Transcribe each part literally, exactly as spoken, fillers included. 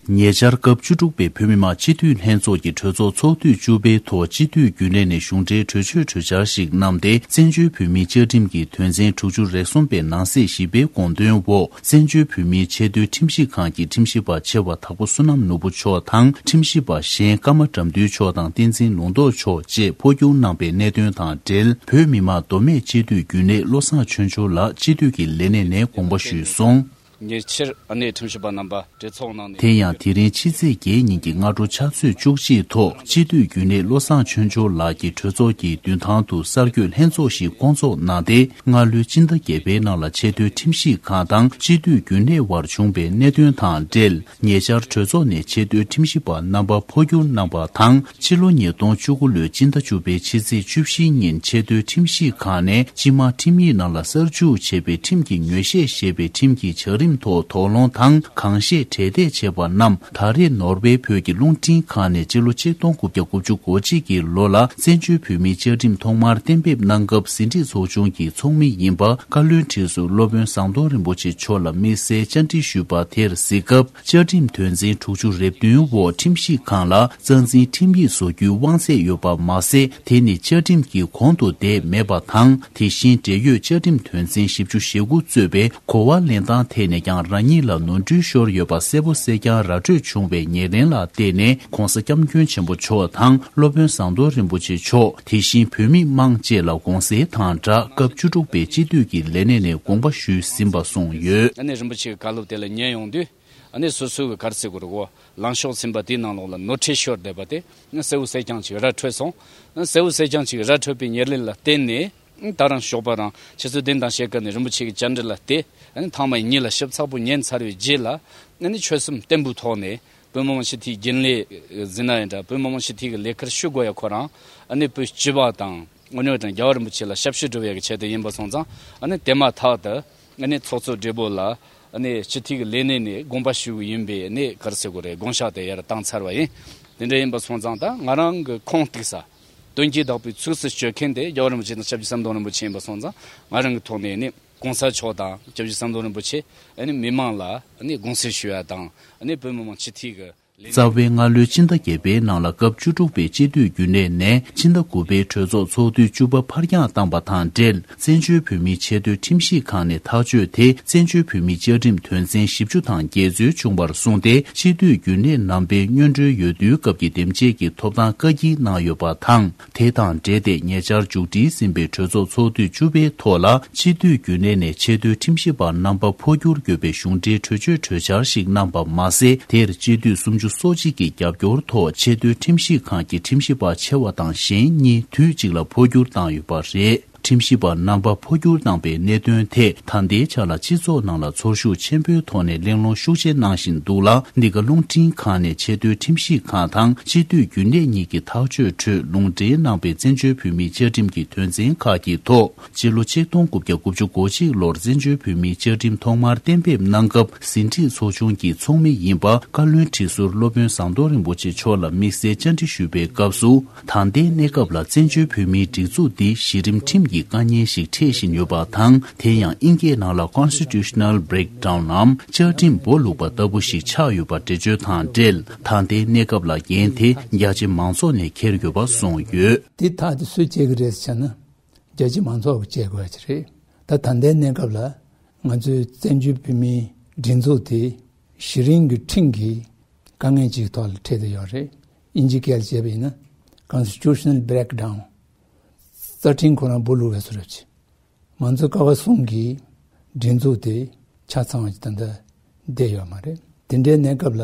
ཉེ་ཆར་སྐབས་བཅུ་དྲུག་པའི་བོད་མི་མང་སྤྱི་འཐུས་ལྷན་ཚོགས་ཀྱི་གྲོས་ཚོགས་ཚོགས་དུས་བཅུ་པའི་ཐོག་སྤྱི་འཐུས་རྒྱུན་ལས་ནས་གཞུང་འབྲེལ་གྲོས་ཆོད་གྲོས་འཆར་ཞིག་བསྣམས་ཏེ། བཙན་བྱོལ་བོད་མིའི་བཅའ་ཁྲིམས་ཀྱི་དོན་ཚན་དྲུག་ཅུ་རེ་གསུམ་པའི་ནང་གསེས་བཞི་པའི་དགོངས་དོན་འོག་བཙན་བྱོལ་བོད་མིའི་ཆེས་མཐོའི་ཁྲིམས་ཞིབ་ཁང་གི་ཁྲིམས་ཞིབ་པ་ཆེ་བ་དྭགས་པོ་བསོད་ནམས་ནོར་བུ་མཆོག་དང་། ཁྲིམས་ཞིབ་པ་གཞན་ཀརྨ་དགྲ་འདུལ་མཆོག་དང་། བསྟན་འཛིན་ལུང་རྟོགས་མཆོག་བཅས་འཕོ་འགྱུར་གནང་པའི་གནད་དོན་དང་འབྲེལ། བོད་མི་མང་མདོ་སྨད་སྤྱི་འཐུས་རྒྱུན་ལས་བློ་བཟང་ཆོས་འབྱོར་ལགས་སྤྱི་འཐུས་ཀྱི་ལས་གནས་ནས་དགོངས་པ་ཞུས་སོང་། ཉེ་ཆར་ཨ་ནེ་ཁྲིམས་ཞིབ་པ་རྣམ་པ་གྲོས་ཚོགས་ནང་ནས། དེ་ཡང་དེ་རིང་ཕྱི་ཚེས་བརྒྱད་ཉིན་གྱི་སྔ་དྲོ་ཕྱག་ཚོད་བཅུ་གཅིག་ཐོག་སྤྱི་འཐུས་རྒྱུན་ལས་བློ་བཟང་ཆོས་འབྱོར་ལགས་ཀྱིས་གྲོས་ཚོགས་ཀྱི་མདུན་ཐང་དུ་གསར་འགོད་ལྷན་ཚོགས་ཤིག་བསྐོང་ཚོགས་གནང་སྟེ། སྔ་ལོའི་སྤྱི་ཟླ་བརྒྱད་པའི་ནང་ལ་ཆེས་མཐོའི་ཁྲིམས་ཞིབ་ཁང་དང་སྤྱི་འཐུས་རྒྱུན་ལས་དབར་བྱུང་བའི་གནད་དོན་དང་འབྲེལ། ཉེ་ཆར་གྲོས་ཚོགས་ནས་ཆེས་མཐོའི་ཁྲིམས་ཞིབ་པ་རྣམ་པ་འཕོ་འགྱུར་གནང་པ་དང་། ཕྱི་ལོ་ཉིས་སྟོང་བཅུ་དགུ་ལོའི་སྤྱི་ཟླ་བཅུ་པའི་ཕྱི་ཚེས་བཅུ་བཞི་ཉིན་ཆེས་མཐོའི་ཁྲིམས་ཞིབ་ཁང་ནས་སྤྱི་དམངས་ཁྲིམས་ཡིག་ནང་ལ་གསར་འཇུག་བྱས་པའི་ཁྲིམས་ཀྱི་ཉོས་བཤད་ཞེས་པའི་ཁྲིམས་ཀྱི་བྱ་རིམ་ཐོག་དོགས་སློང་དང་གང་བཤད་གྲོས་འདེབས་བྱས་པ་རྣམས། ད་རེས་ནོར་ཝེ་བོད་ཀྱི་རླུང་འཕྲིན་ཁང་ནས་སྤྱི་ལོ་ཆིག་སྟོང་དགུ་བརྒྱ་དགུ་བཅུ་གོ་གཅིག་གི་ལོ་ལ་བཙན་བྱོལ་བོད་མིའི་བཅའ་ཁྲིམས་ཐོག་མར་གཏན་འབེབས་གནང་སྐབས་ཟིན་བྲིས་ཚོགས་ཆུང་གི་ཚོགས་མི་ཡིན་པ་བཀའ་བློན་ཁྲི་ཟུར་སློབ་དཔོན་ཟམ་གདོང་རིན་པོ་ཆེ་མཆོག་ལ་དམིགས་བསལ་བཅར་འདྲི་ཞུས་པ་དེར་གཟིགས་སྐབས། བཅའ་ཁྲིམས་དོན་ཚན་དྲུག་ཅུ་རེ་བདུན་འོག་ཁྲིམས་ཞིབ་ཁང་ལ་རྩ་འཛིན་ཁྲིམས་ཡིག་བཟོ་རྒྱུའི་དབང་ཚད་ཡོད་པ་མ་ཟད། དེ་ནི་བཅའ་ཁྲིམས་ཀྱི་གོང་དུ་བསྡད་མེད་པ་དང་། དེ་བཞིན་འབྲེལ་ཡོད་བཅའ་ཁྲིམས་དོན་ཚན་བཞི་བཅུ་ཞེ་དགུ་གཙོས་པའི་གོ་བ་ལེན་སྟངས་ཐད་ནས་ཀྱང་རང་ཉིད་ལ་ནོར་འཁྲུལ་ཤོར་ཡོད་པ་གསལ་པོ་གསལ་རྐྱང་ར་སྤྲོད་བྱུང་བའི་ཉེར་ལེན་ལ་བརྟེན་ནས། ྋགོང་ས་ྋསྐྱབས་མགོན་ཆེན་པོ་མཆོག་དང་སློབ་དཔོན་ཟམ་གདོང་རིན་པོ་ཆེ་མཆོག་དེ་བཞིན་བོད་མི་མང་བཅས་ལ་དགོངས་སེལ་དང་སྦྲགས། སྐབས་བཅུ་དྲུག་པའི་སྤྱི་འཐུས་ཀྱི་ལས་གནས་ནས་དགོངས་པ་ཞུས་ཟིན་པ་གསུངས་ཡོད། ཨ་ནེ་རིན་པོ་ཆེའི་བཀའ་སློབ་དེ་ལ་ཉན་ཡོང་དུས། ཨ་ནེ་སོ་སོའི་ག་རེ་ཟེར་དགོས་རེད་གོ། ལངས་ཕྱོགས་ཟིན་པ་དེའི་ནང་ལོགས་ལ་ནོར་འཁྲུལ་ཤོར་བསྡད་པ་དེ་གསལ་བོ་གསལ་རྐྱང་ཅིག་ར་འཕྲོད་སོང་། གསལ་བོ་གསལ་རྐྱང་ཅིག་ར་འཕྲོད་པའི་ཉེར་ལེན་ལ་བརྟེན་ནས། ད་རང་ཞོགས་པ་རང་ཆུ་ཚོད་བདུན་དང་ཕྱེད་ཀ་ནས་རིན་པོ་ཆེ་གི་བཅར་འདྲི་ལ་བལྟས། ཨ་ནི་ཐེངས་མ་གཉིས་ལ་ཞིབ་ཚགས་པོ་ཉན་ཚར་བའི་རྗེས་ལ། ཨ་ནི་ཆོད་སེམས་བརྟན་པོའི་ཐོག་ནས་བོད་མི་མང་སྤྱི་འཐུས་རྒྱུན་ལས་ཟིན་ན་ཡིན་འདྲ། བོད་མི་མང་སྤྱི་འཐུས་ཀྱི་ལས་ཀར་ཞུགས་དགོས་ཡ་ཁོ་རང་ཨ་ནི་བོད་སྤྱི་པ་དང་དངོས་གནས་དྲང་རྒྱལ་བ་རིན་པོ་ཆེ་ལ་ཞབས་ཞུ་སྒྲུབ་ཡ་གི་ཆེད་དུ་ཡིན་པ་སོང་ཙང་། ཨ་ནི་དེ་མ་ཐག་ཏུ་ཨ་ནི་ཚོགས་གཙོ་སྦྲེལ་པོ་ལ་ཨ་ནི་སྤྱི་འཐུས་ཀྱི་ལས་གནས་ནས་དགོངས་པ་ཞུ་གི་ཡིན་པའི་ཨ་ནི་ག་རེ་ཟེར་དགོས་རེད། དགོངས་ཞག་དེ་ཡར་བཏང་ཚར་བ་ཡིན། དེ་འདྲ་ཡིན་པ་སོང་ཙང་ད་ང་རང་གི་ཁུངས་གཏུགས་ས། དོན་གྱིས་བདག་པོའི་ཚིགས་སུ་བཅད་མཁན་དེ་རྒྱལ་བ་རིན་པོ་ཆེ་དང་སྐྱབས་རྗེ་ཟམ་གདོང་རིན་པོ་ཆེ་ཡིན་པ་སོང་ཙང་། ང་རང་གི་ཐོག་ནས་ནི་གོང་ས་མཆོག་དང་སྐྱབས་རྗེ་ཟམ་གདོང་རིན་པོ་ཆེ་ཨ་ནི་མི་མང་ལ་ཨ་ནི་དགོངས་སེལ་ཞུ་ཡ་དང་། ཨ་ནི་བོད་མི་མང་སྤྱི་འཐུས་ཀྱི་ལས། རྩ་བའི་སྔ་ལོའི་སྤྱི་ཟླ་བརྒྱད་པའི་ནང་ལ་སྐབས་བཅུ་དྲུག་པའི་སྤྱི་འཐུས་རྒྱུན་ལས་ནས་སྤྱི་ཟླ་དགུ་པའི་གྲོས་ཚོགས་ཚོགས་དུས་བཅུ་པ་ཕར་འགྱངས་བཏང་པ་དང་འབྲེལ། བཙན་བྱོལ་བོད་མིའི་ཆེས་མཐོའི་ཁྲིམས་ཞིབ་ཁང་ནས་ཐག་གཅོད་དེ། བཙན་བྱོལ་བོད་མིའི་བཅའ་ཁྲིམས་དོན་ཚན་བཞི་བཅུ་དང་བརྒྱད་ཚུལ་བྱུང་བར་གསུངས་ཏེ། སྤྱི་འཐུས་རྒྱུན་ལས་རྣམ་པའི་སྔོན་འགྲོའི་འོས་བསྡུའི་སྐབས་ཀྱི་འདེམས་བྱེད་ཀྱི་ཐོབ་ཐང་བཀག་སྐྱིལ་གནང་ཡོད་པ་དང་། དེ་དང་འབྲེལ་ཏེ་ཉེ་ཆར་མཇུག་སྒྲིལ་ཟིན་པའི་གྲོས་ཚོགས་ཚོགས་དུས་བཅུ་པའི་ཐོག་ལ། སྤྱི་འཐུས་རྒྱུན་ལས་ནས་ཆེས་མཐོའི་ཁྲིམས་ཞིབ་པ་རྣམ་པ་འཕོ་འགྱུར་དགོས་པའི་གཞུང་འབྲེལ་གྲོས་ཆོད་གྲོས་འཆར་ཞིག་གནང་པ་མ་ཟད། དེར་སྤྱི་འཐུས་སུམ་ཅུ་སོ་གཅིག་གི་རྒྱབ་སྐྱོར་ཐོག་ཆེས་མཐོའི་ཁྲིམས་ཞིབ་ཁང་གི་ཁྲིམས་ཞིབ་པ་ཆེ་བ་དང་གཞན་གཉིས་དུས་གཅིག་ལ་འཕོ་འགྱུར་བཏང་ཡོད་པ་རེད། ཁྲིམས་ཞིབ་པ་རྣམ་པ་འཕོ་འགྱུར་བཏང་པའི་གནད་དོན་ཐད། ད་ལྟའི་ཆ་ལ་སྤྱི་ཚོགས་ནང་ལ་ཚོར་ཤུགས་ཆེན་པོའི་ཐོག་ནས་གླེང་སློང་ཤུགས་ཆེ་གནང་བཞིན་འདུག་ལ། འདི་ག་རླུང་འཕྲིན་ཁང་ནས་ཆེས་མཐོའི་ཁྲིམས་ཞིབ་ཁང་དང་སྤྱི་འཐུས་རྒྱུན་ལས་གཉིས་ཀྱི་ཐག་གཅོད་ཁྲོད་ལུང་འདྲེན་གནང་པའི་བཙན་བྱོལ་བོད་མིའི་བཅའ་ཁྲིམས་ཀྱི་དོན་ཚན་ཁག་གི་ཐོག་སྤྱི་ལོ་ཆིག་སྟོང་དགུ་བརྒྱ་དགུ་བཅུ་གོ་གཅིག་ལོར་བཙན་བྱོལ་བོད་མིའི་བཅའ་ཁྲིམས་ཐོག་མར་གཏན་འབེབས་གནང་སྐབས། ཟིན་བྲིས་ཚོགས་ཆུང་གི་ཚོགས་མི་ཡིན་པ་བཀའ་བློན་ཁྲི་ཟུར་སློབ་དཔོན་ཟམ་གདོང་རིན་པོ་ཆེ་མཆོག་ལ་དམིགས་བསལ་བཅར་འདྲི་ཞུས་པའི་སྐབས་སུ། ད་ལྟའི་གནས་སྐབས་ལ་བཙན་བྱོལ་བོད་མིའི་སྒྲིག་འཛུགས་འདི་གཞི་རིམ་ཁྲིམས་ཀྱི་བཀའ་རྙིང་ཞིག་འཕྲད་བཞིན་ཡོད་པ་དང་། དེ་ཡང་དབྱིན་སྐད་ནང་ལ་Constitutional Breakdown ནམ་བཅའ་ཁྲིམས་སྦོ་ལུག་པ་ལྟ་བུ་ཞིག་ཆགས་ཡོད་པ་འགྲེལ་བརྗོད་དང་འབྲེལ། ད་ལྟའི་གནས་སྐབས་ལ་འགན་དེ་རྒྱ་ཆེ་མང་ཚོགས་ནས་འཁྱེར་ཡོད་པ་གསུངས་ཡོད། དེ་ཐག་དེ་སུས་བཅད་ཀྱི་རེད་ཟེར་ན། རྒྱ་ཆེ་མང་ཚོགས་ཀྱིས་བཅད་དགོས་ཀྱི་རེད། ད་ད་ལྟའི་གནས་སྐབས་ལ་ང་ཚོའི་བཙན་བྱོལ་བོད་མིའི་སྒྲིག་འཛུགས་དེ་གཞི་རིམ་གྱི་ཁྲིམས་ཀྱི་དཀའ་ངལ་ཅིག་ཐོག་ལ་འཕྲད་དུ་ཡོད་རེད། དབྱིན་ཇིའི་སྐད་ལ་བྱས་པ་ཡིན་ན། Constitutional Breakdown། རྩ་ཁྲིམས་ཁོ་རང་སྦོ་ལུག་བས་སུ་རབ་ཆེ། མང་གཙོ་ཀ་བ་གསུམ་གྱི་སྒྲིག་འཛུགས་དེ་ཆ་ཚང་བ་ཅིག་ད་ལྟ་བསྡད་ཡོད་མ་རེད། དེ་འདྲའི་གནས་སྐབས་ལ་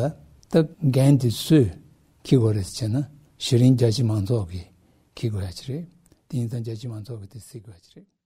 ད་འགན་དེ་སུས་འཁྱེར་དགོས་རེད་ཟེར་ན། གཞི་རིམ་རྒྱ་ཆེ་མང་ཚོགས་ཀྱིས་འཁྱེར་དགོས་ཡ་ཅིག་རེད། དེ་ཡིན་ཙང་རྒྱ་ཆེ་མང་ཚོགས་ཀྱིས་དེ་སེལ་དགོས་ཡ་ཅིག་རེད།